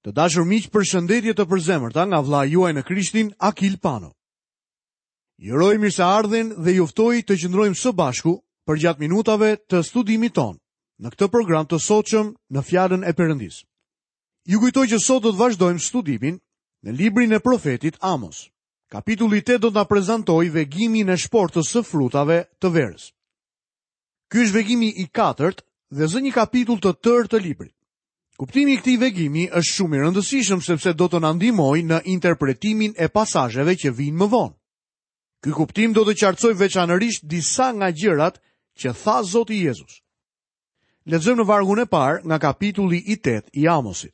Të dashur miq, përshëndetje të përzemërta nga vëllai juaj në Krishtin, Akil Pano. Ju uroj mirëseardhjen dhe ju ftoj të qëndrojmë së bashku përgjatë minutave të studimit tonë në këtë program të sotshëm në Fjalën e Perëndisë. Ju kujtoj që sot do të vazhdojmë studimin në librin e profetit Amos. Kapitulli 8 do të na prezantojë vegimin e shportës së frutave të verës. Ky është vegimi i katërt dhe zë një kapitull të tërë të librit. Kuptimi i këtij vegimi është shumë i rëndësishëm sepse do të na ndihmojë në interpretimin e pasazheve që vijnë më vonë. Ky kuptim do të qartësojë veçanërisht disa nga gjërat që tha Zoti Jezus. Lexojmë në vargun e parë nga kapitulli i 8 i Amosit.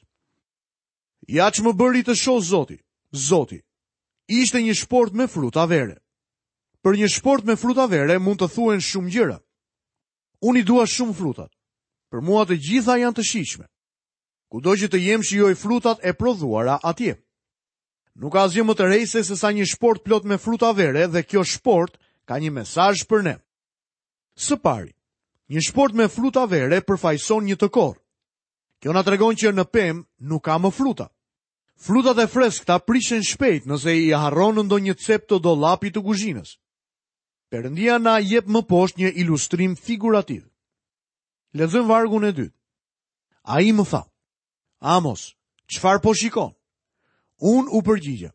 Ja ç'më bëri të shoh Zoti, Zoti. Ishte një shportë me fruta vere. Për një shportë me fruta vere mund të thuhen shumë gjëra. Unë i dua shumë frutat. Për mua të gjitha janë të shijshme. Kudo që të jem shijoj frutat e prodhuara atje. Nuk ka asgjë më tërheqëse sesa një shportë plot me fruta vere dhe kjo shportë ka një mesazh për ne. Së pari, një shportë me fruta vere përfaqëson një të korrë. Kjo na tregon që në pemë nuk ka më fruta. Frutat e freskëta prishen shpejt nëse i harron në ndonjë cep të dollapit të kuzhinës. Perëndia na jep më poshtë një ilustrim figurativ. Lexojmë vargun e dytë. Ai më tha, Amos, çfarë po shikon? Unë u përgjigja,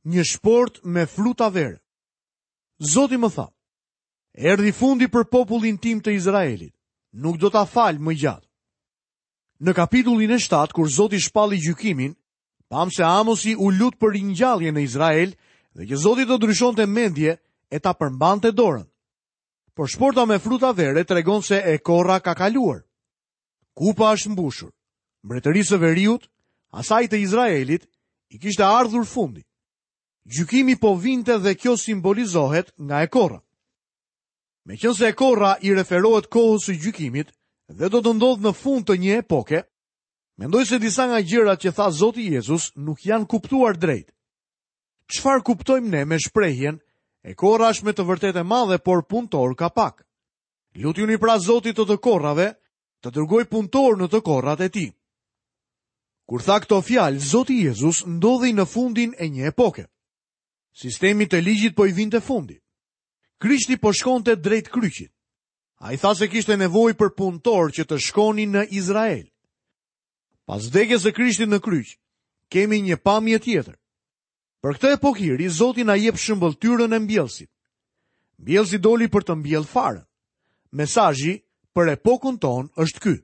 një shportë me fruta vere. Zoti më tha, erdhi fundi për popullin tim të Izraelit, nuk do ta fal më gjatë. Në kapitullin e 7, kur Zoti shpalli gjykimin, pamë se Amosi u lut për ringjallje në Izrael dhe që Zoti të ndryshonte mendje e ta përmbante dorën. Por shporta me fruta vere tregon se e korra ka kaluar. Kupa është mbushur. Mbretërisë së Veriut, asaj të Izraelit, i kishte ardhur fundi. Gjykimi po vinte dhe kjo simbolizohet nga e korra. Meqenëse e korra i referohet kohës së gjykimit dhe do të ndodhë në fund të një epoke, mendoj se disa nga gjërat që tha Zoti Jezus nuk janë kuptuar drejt. Çfarë kuptojmë ne me shprehjen e korra është me të vërtetë e madhe, por punëtorë ka pak. Lutjuni pra Zotit të të korrave, të dërgojë punëtorë në të korrat e tij. Kur tha këto fjalë, Zoti Jezus ndodhej në fundin e një epoke. Sistemit të ligjit po i vinte fundi. Krishti po shkonte drejt kryqit. Ai tha se kishte nevojë për punëtorë që të shkonin në Izrael. Pas vdekjes së Krishtit në kryq, kemi një pamje tjetër. Për këtë epokë hiri, Zoti na jep shëmbëlltyrën e mbjellësit. Mbjellësi doli për të mbjellë farën. Mesazhi për epokën tonë është ky.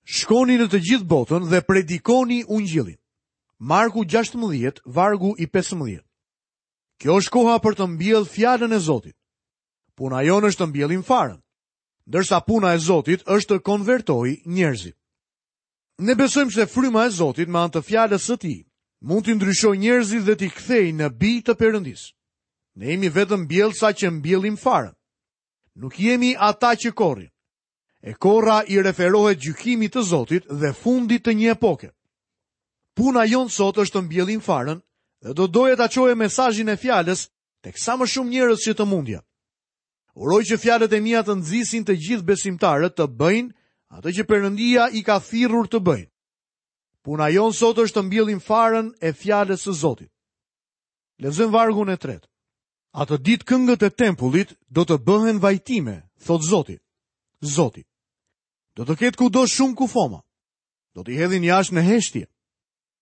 Shkoni në të gjithë botën dhe predikoni ungjillin. Marku 16, vargu i 15. Kjo është koha për të mbjellë fjalën e Zotit. Puna jonë është të mbjellim farën, ndërsa puna e Zotit është të konvertojë njerëzit. Ne besojmë se fryma e Zotit me anë të fjalës së tij mund t'i ndryshojë njerëzit dhe t'i kthejë në bij të Perëndisë. Ne jemi vetëm mbjellësa që mbjellim farën. Nuk jemi ata që korrin. E korra i referohet gjykimit të Zotit dhe fundit të një epoke. Puna jonë sot është të mbjellim farën dhe do doja ta çoja mesazhin e fjalës tek sa më shumë njerëz që të mundja. Uroj që fjalët e mia të nxisin të gjithë besimtarët të bëjnë atë që Perëndia i ka thirrur të bëjnë. Puna jonë sot është të mbjellim farën e fjalës së Zotit. Lexojmë vargun e tretë. Atë ditë këngët e tempullit do të bëhen vajtime, thotë Zoti. Zoti. Do të ketë kudo shumë kufoma. Do t'i hedhin jashtë në heshtje.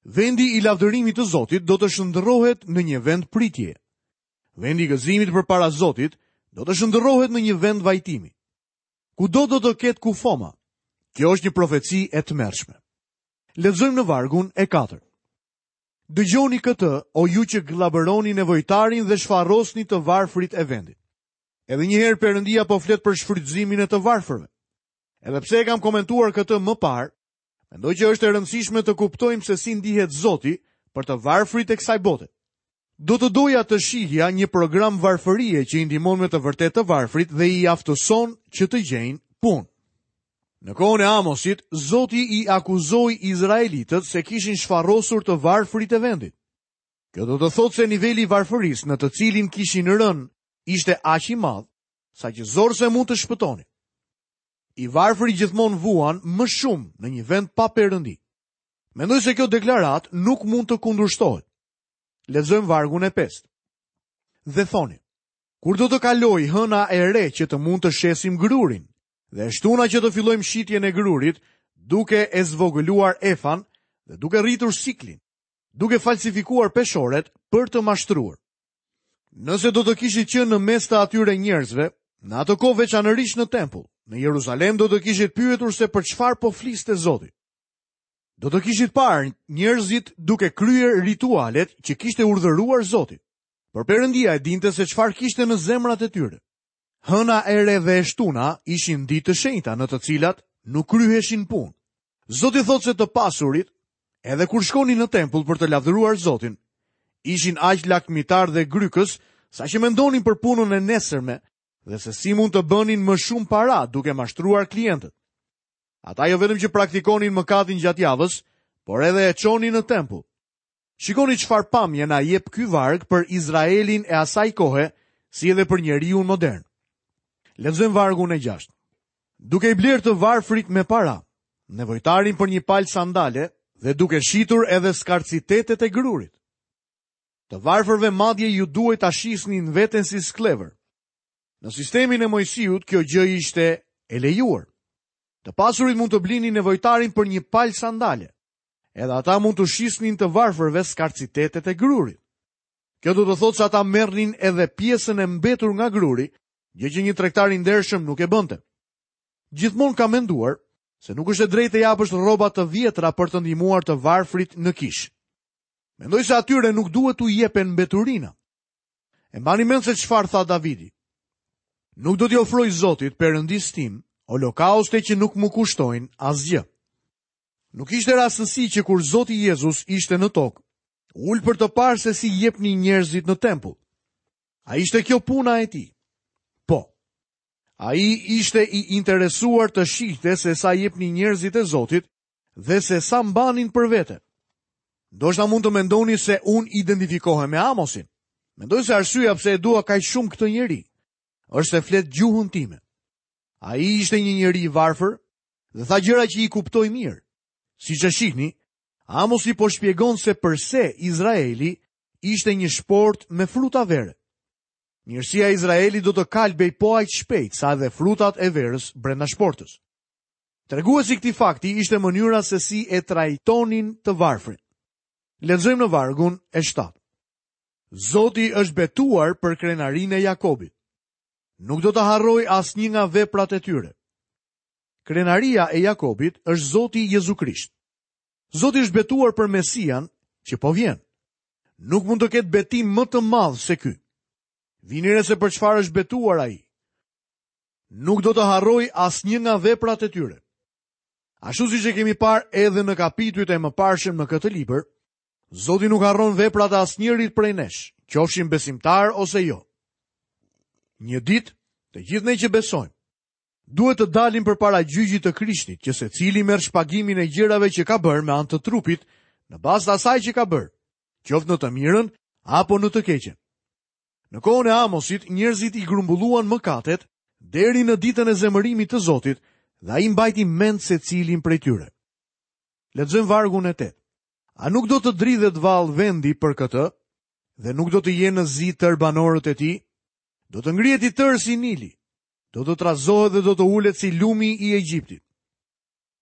Vendi i lavdërimit të Zotit do të shndërrohet në një vend pritjeje. Vendi i gëzimit përpara Zotit do të shndërrohet në një vend vajtimi. Kudo do të ketë kufoma. Kjo është një profeci e tmerrshme. Lexojmë në vargun e 4. Dëgjoni këtë, o ju që gllabëroni nevojtarin dhe shfarosni të varfrit e vendit. Edhe një herë Perëndia po flet për shfrytëzimin e të varfërve. Edhe pse e kam komentuar këtë më parë, mendoj që është e rëndësishme të kuptojmë se si ndihet Zoti për të varfrit e kësaj bote. Do të doja të shihja një program varfërie që i ndihmon me të vërtetë të varfrit dhe i aftëson që të gjejnë punë. Në kohën e Amosit, Zoti i akuzoi izraelitët se kishin shfarosur të varfrit e vendit. Kjo do të thotë se niveli i varfërisë në të cilin kishin rënë ishte aq i madh, saqë zor se mund të shpëtonin. I varfri gjithmonë vuan më shumë në një vend pa perëndi. Mendoj se kjo deklaratë nuk mund të kundërshtohet. Lexojmë vargun e pestë. Dhe thoni, kur do të kalojë hëna e re që të mund të shesim grurin, dhe e shtuna që të fillojmë shitjen e grurit, duke e zvogëluar efan dhe duke rritur siklin, duke falsifikuar peshoret për të mashtruar. Nëse do të kishit qenë në mes të atyre njerëzve, në atë kohë veçanërisht në tempull, në Jeruzalem do të kishit pyetur se për çfarë po fliste Zoti. Do të kishit parë njerëzit duke kryer ritualet që kishte urdhëruar Zoti. Por Perëndia e dinte se çfarë kishte në zemrat e tyre. Hëna e re dhe e shtuna ishin ditë të shenjta në të cilat nuk kryheshin punë. Zoti thotë se të pasurit, edhe kur shkonin në tempull për të lavdëruar Zotin, ishin aq lakmitarë dhe grykës, saqë mendonin për punën e nesërme dhe se si mund të bënin më shumë para duke mashtruar klientët. Ata jo vetëm që praktikonin mëkatin gjatë javës, por edhe e çonin në tempull. Shikoni çfarë pamje na jep ky varg për Izraelin e asaj kohe, si edhe për njeriun modern. Lexojmë vargun e 6. Duke i blerë të varfrit me para, nevojtarin për një palë sandale dhe duke shitur edhe skarcitetet e grurit. Të varfërve madje iu duhej ta shisnin veten si skllevër. Në sistemin e Moisiut kjo gjë ishte e lejuar. Të pasurit mund të blinin nevojtarin për një palë sandale. Edhe ata mund t'u shisnin të varfërve skarcitetet e grurit. Kjo do të thotë se ata merrnin edhe pjesën e mbetur nga gruri, gjë që një tregtar i ndershëm nuk e bënte. Gjithmonë kam menduar se nuk është e drejtë të japësh rroba të vjetra për të ndihmuar të varfrit në kishë. Mendoj se atyre nuk duhet t'u jepen mbeturina. E mbani mend se çfarë tha Davidi. Nuk do t'i ofroj Zotit, Perëndisë tim, holokauste që nuk më kushtojnë asgjë. Nuk ishte rastësi që kur Zoti Jezus ishte në tokë, u ul për të parë se si jepnin njerëzit në tempull. A ishte kjo puna e tij? Po. Ai ishte i interesuar të shihte se sa jepnin njerëzit e Zotit dhe se sa mbanin për vete. Ndoshta mund të mendoni se unë identifikohem me Amosin. Mendoj se arsyeja pse e dua kaq shumë këtë njeri, është se flet gjuhën time. Ai ishte një njeri i varfër dhe tha gjëra që i kuptoj mirë. Siç e shihni, Amosi po shpjegon se përse Izraeli ishte një shportë me fruta vere. Mirësia e Izraelit do të kalbej po aq shpejt sa edhe frutat e verës brenda shportës. Treguesi i këtij fakti ishte mënyra se si e trajtonin të varfrin. Lexojmë në vargun e 7. Zoti është betuar për krenarinë e Jakobit. Nuk do të harrojë asnjë nga veprat e tyre. Krenaria e Jakobit është Zoti Jezu Krisht. Zoti është betuar për Mesian që po vjen. Nuk mund të ketë betim më të madh se ky. Vini re se për çfarë është betuar ai. Nuk do të harrojë asnjë nga veprat e tyre. Ashtu siç e kemi parë edhe në kapitujt e mëparshëm në këtë libër, Zoti nuk harron veprat e asnjërit prej nesh, qofshim besimtarë ose jo. Një ditë, të gjithë ne që besojmë, duhet të dalim përpara gjyqit të Krishtit, që secili merr shpagimin e gjërave që ka bërë me anë të trupit, në bazë të asaj që ka bërë, qoftë në të mirën apo në të keqen. Në kohën e Amosit, njerëzit i grumbulluan mëkatet deri në ditën e zemërimit të Zotit dhe ai mbajti mend secilin prej tyre. Lexojmë vargun e 8. A nuk do të dridhet vallë vendi për këtë dhe nuk do të jenë në zi tërë banorët e tij? Do të ngrihet i tërë si Nili, do të trazohet dhe do të ulet si lumi i Egjiptit.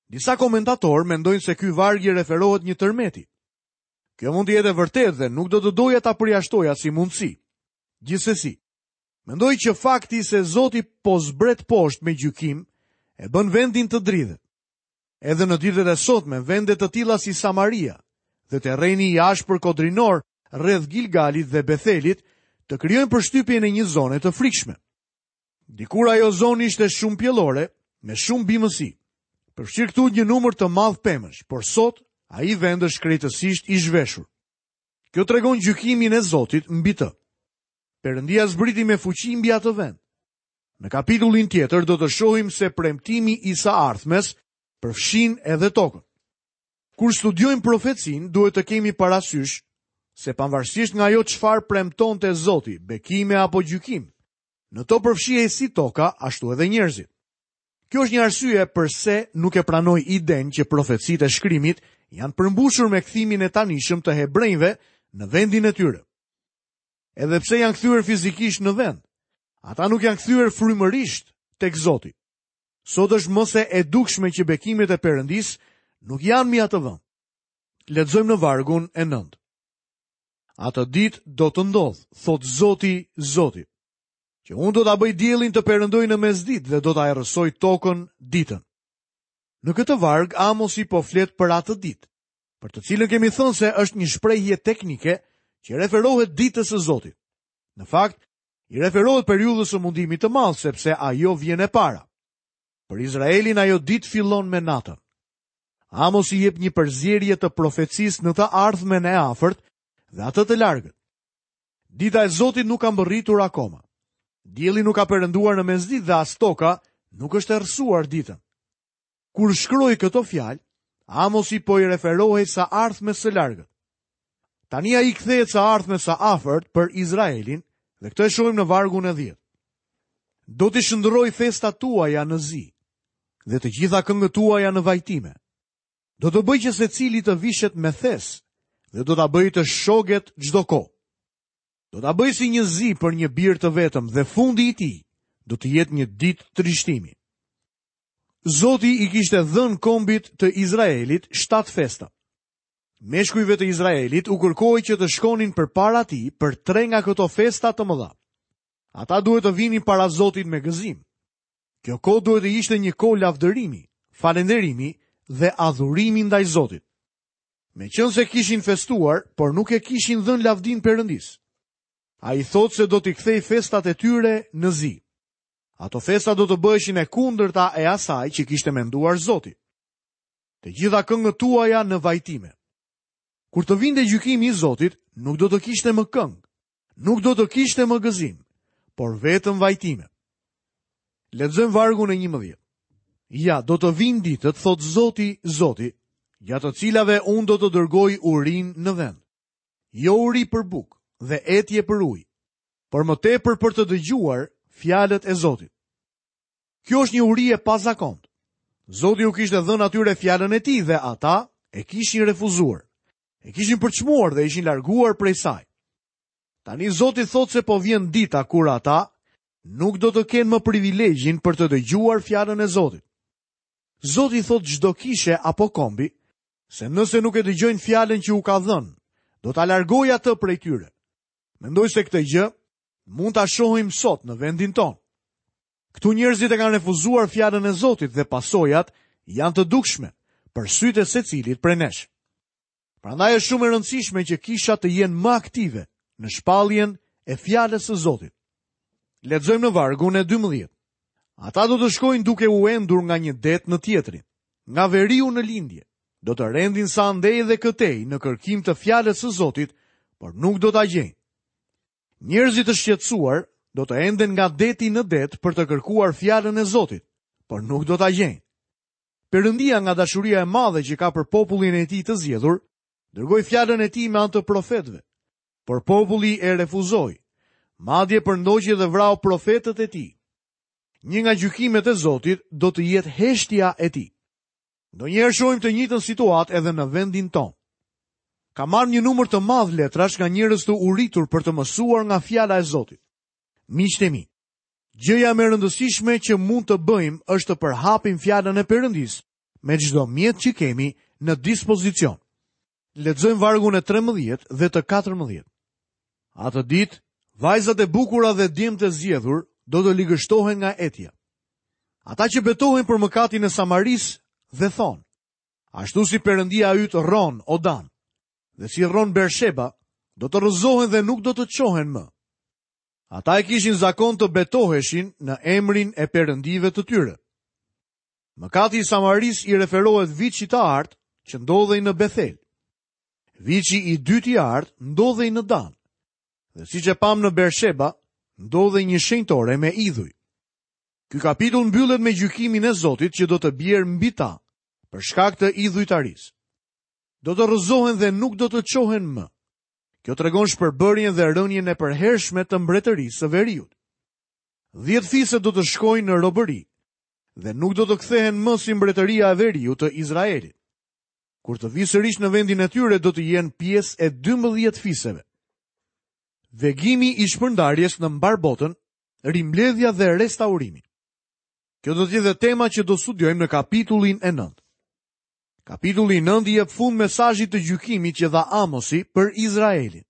Disa komentatorë mendojnë se ky varg i referohet një tërmeti. Kjo mund të jetë e vërtetë dhe nuk do të doja ta përjashtoja si mundësi. Gjithsesi, mendoj që fakti se Zoti po zbret poshtë me gjykim e bën vendin të dridhet. Edhe në ditët e sotme, vende të tilla si Samaria dhe terreni i ashpër kodrinor rreth Gilgalit dhe Bethelit të krijojnë përshtypjen e një zone të frikshme. Dikur ajo zonë ishte shumë pjellore, me shumë bimësi. Përfshirë këtu një numër të madh pemësh, por sot ai vend është krejtësisht i zhveshur. Kjo tregon gjykimin e Zotit mbi të. Perëndia zbriti me fuqi mbi atë vend. Në kapitullin tjetër do të shohim se premtimi i së ardhmes përfshin edhe tokën. Kur studiojmë profecinë, duhet të kemi parasysh se pavarësisht nga ajo çfarë premtonte Zoti, bekime apo gjykim, në to përfshihej si toka, ashtu edhe njerëzit. Kjo është një arsye përse nuk e pranoj idenë që profecitë e shkrimit janë përmbushur me kthimin e tanishëm të hebrenjve në vendin e tyre. Edhe pse janë kthyer fizikisht në vend, ata nuk janë kthyer frymërisht tek Zoti. Sot është më se e dukshme që bekimet e Perëndisë nuk janë mbi atë vend. Lexojmë në vargun e 9. Atë ditë do të ndodhë, thotë Zoti, Zoti, që unë do ta bëj diellin të perëndojë në mesditë dhe do ta errësoj tokën ditën. Në këtë varg Amosi po flet për atë ditë, për të cilën kemi thënë se është një shprehje teknike që i referohet ditës së Zotit. Në fakt, i referohet periudhës së mundimit të madh sepse ajo vjen e para. Për Izraelin ajo ditë fillon me natën. Amosi jep një përzierje të profecisë në të ardhmen e afërt dhe atë të largët. Dita e Zotit nuk ka mbërritur akoma. Dielli nuk ka perënduar në mesditë dhe as toka nuk është errësuar ditën. Kur shkroi këto fjalë, Amosi po i referohej së ardhmes së largët. Tani ai i kthehet së ardhmes së afërt për Izraelin dhe këtë e shohim në vargun e 10. Do t'i shndërroj festat tuaja në zi dhe të gjitha këngët tuaja në vajtime. Do të bëj që secili të vishet me thes dhe do ta bëj të shoget çdo kohë. Do ta bëj si një zi për një bir të vetëm dhe fundi i tij do të jetë një ditë trishtimi. Zoti i kishte dhënë kombit të Izraelit shtatë festa. Meshkujve të Izraelit u kërkohej që të shkonin përpara tij për tre nga këto festa të mëdha. Ata duhet të vinin para Zotit me gëzim. Kjo kohë duhet të ishte një kohë lavdërimi, falënderimi dhe adhurimi ndaj Zotit. Meqenëse kishin festuar, por nuk e kishin dhënë lavdinë Perëndisë. Ai thotë se do t'i kthejë festat e tyre në zi. Ato festa do të bëheshin e kundërta e asaj që kishte menduar Zoti. Të gjitha këngët tuaja në vajtime. Kur të vinte gjykimi i Zotit, nuk do të kishte më këngë, nuk do të kishte më gëzim, por vetëm vajtime. Lexojmë vargun e 11. Ja, do të vijnë ditët, thotë Zoti, Zoti, gjatë të cilave unë do të dërgoj urinë në vend. Jo uri për bukë dhe etje për ujë, por më tepër për të dëgjuar fjalët e Zotit. Kjo është një uri e pazakontë. Zoti u kishte dhënë atyre fjalën e tij dhe ata e kishin refuzuar. E kishin përçmuar dhe ishin larguar prej saj. Tani Zoti thotë se po vjen dita kur ata nuk do të kenë më privilegjin për të dëgjuar fjalën e Zotit. Zoti i thotë çdo kishe apo kombi se nëse nuk e dëgjojnë fjalën që u ka dhënë, do ta largojë atë prej tyre. Mendoj se këtë gjë mund ta shohim sot në vendin tonë. Këtu njerëzit e kanë refuzuar fjalën e Zotit dhe pasojat janë të dukshme për sytë e secilit prej nesh. Prandaj është shumë e rëndësishme që kishat të jenë më aktive në shpalljen e fjalës së Zotit. Lexojmë në vargun e 12. Ata do të shkojnë duke u endur nga një det në tjetrin, nga veriu në lindje. Do të rendin sa andej dhe këtej në kërkim të fjalës së Zotit, por nuk do ta gjejnë. Njerëzit të shqetësuar do të enden nga deti në det për të kërkuar fjalën e Zotit, por nuk do ta gjejnë. Perëndia nga dashuria e madhe që ka për popullin e tij të zgjedhur, dërgoi fjalën e tij me anë të profetëve, por populli e refuzoi, madje përndoqi dhe vrau profetët e tij. Një nga gjykimet e Zotit do të jetë heshtja e tij. Ndonjëherë shohim të njëjtën situatë edhe në vendin tonë. Kam marrë një numër të madh letrash nga njerëz të uritur për të mësuar nga fjala e Zotit. Miqtë e mi, gjëja më e rëndësishme që mund të bëjmë është të përhapim fjalën e Perëndisë me çdo mjet që kemi në dispozicion. Lexojmë vargun e 13 dhe të 14. Atë ditë, vajzat e bukura dhe djemtë e zgjedhur do të ligështohen nga etja. Ata që betohen për mëkatin e Samarisë dhe thonë, ashtu si perëndia yt rron, o Dan, dhe si rron Bersheba, do të rrëzohen dhe nuk do të çohen më. Ata e kishin zakon të betoheshin në emrin e perëndive të tyre. Mëkati i Samarisë i referohet viçit të artë që ndodhej në Bethel. Viçi i dytë i artë ndodhej në Dan. Dhe siç e pamë në Bersheba, ndodhej një shenjtore me idhuj. Ky kapitull mbyllet me gjykimin e Zotit që do të bjerë mbi ta, për shkak të idhujtarisë. Do të rrëzohen dhe nuk do të çohen më. Kjo tregon shpërbërjen dhe rënien e përhershme të mbretërisë së veriut. 10 fise do të shkojnë në robëri dhe nuk do të kthehen më si mbretëria e veriut të Izraelit. Kur të vijë sërish në vendin e tyre do të jenë pjesë e 12 fiseve. Vegimi i shpërndarjes në mbarë botën, rimbledhja dhe restaurimi. Kjo do të jetë dhe tema që do studiojmë në kapitullin e 9. Kapitulli i 9 i jep fund mesazhit të gjykimit që dha Amosi për Izraelin.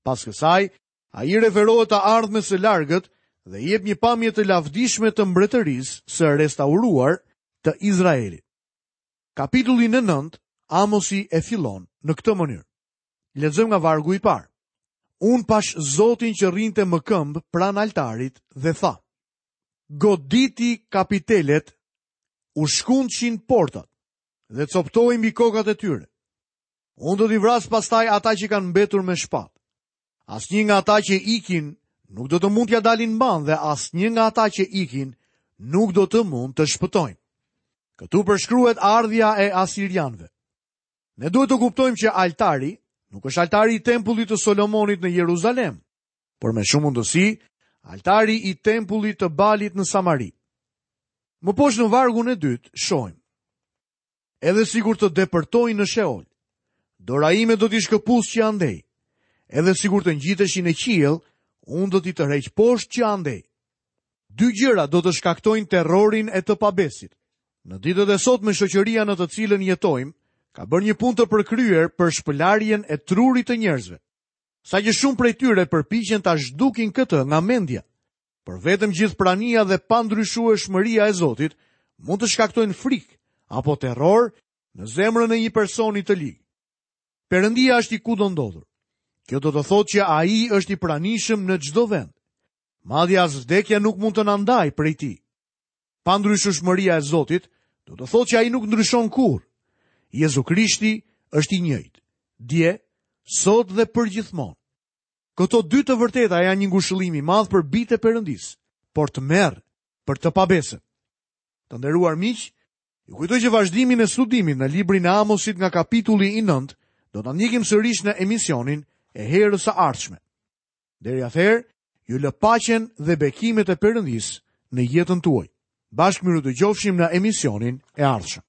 Pas kësaj, ai i referohet të ardhmes së largët dhe jep një pamje të lavdishme të mbretërisë së restauruar të Izraelit. Kapitullin e 9, Amosi e fillon në këtë mënyrë. Lexojmë nga vargu i parë. Unë pashë Zotin që rrinte më këmbë pranë altarit dhe tha: Goditi kapitelet, u shkundshin portat dhe copëtoji mbi kokat e tyre. Unë do t'i vras pastaj ata që kanë mbetur me shpatë. Asnjë nga ata që ikin nuk do të mund t'ia dalin mbanë dhe asnjë nga ata që ikin nuk do të mund të shpëtojnë. Këtu përshkruhet ardhja e asirianëve. Ne duhet të kuptojmë që altari nuk është altari i tempullit të Solomonit në Jeruzalem, por me shumë mundësi altari i tempullit të Balit në Samari. Më poshtë në vargun e dytë shohim. Edhe sikur të depërtojnë në Sheol, dora ime do t'i shkëpusë që andej. Edhe sikur të ngjiteshin në qiell, unë do t'i tërheq poshtë që andej. Dy gjëra do të shkaktojnë terrorin e të pabesit. Në ditët e sotme shoqëria në të cilën jetojmë ka bërë një punë të përkryer për shpëlarjen e trurit të njerëzve. Saqë shumë prej tyre përpiqen ta zhdukin këtë nga mendja. Por vetëm gjithëprania dhe pandryshueshmëria e Zotit mund të shkaktojnë frikë apo terror në zemrën e një personi të lig. Perëndia është i kudondodhur. Kjo do të thotë që ai është i pranishëm në çdo vend. Madje as vdekja nuk mund të na ndajë prej tij. Pandryshueshmëria e Zotit do të thotë që ai nuk ndryshon kurrë. Jezu Krishti është i njëjtë, dje, sot dhe përgjithmonë. Këto dy të vërteta janë një ngushëllim i madh për bijtë e Perëndisë, por tmerr për të pabesën. Të nderuar miq, ju kujtoj që vazhdimin e studimit në librin e Amosit nga kapitulli i 9 do ta ndjekim sërish në emisionin e herës së ardhshme. Deri atëherë, ju lë paqen dhe bekimet e Perëndisë në jetën tuaj. Bashkë mirudëgjofshim në emisionin e ardhshëm.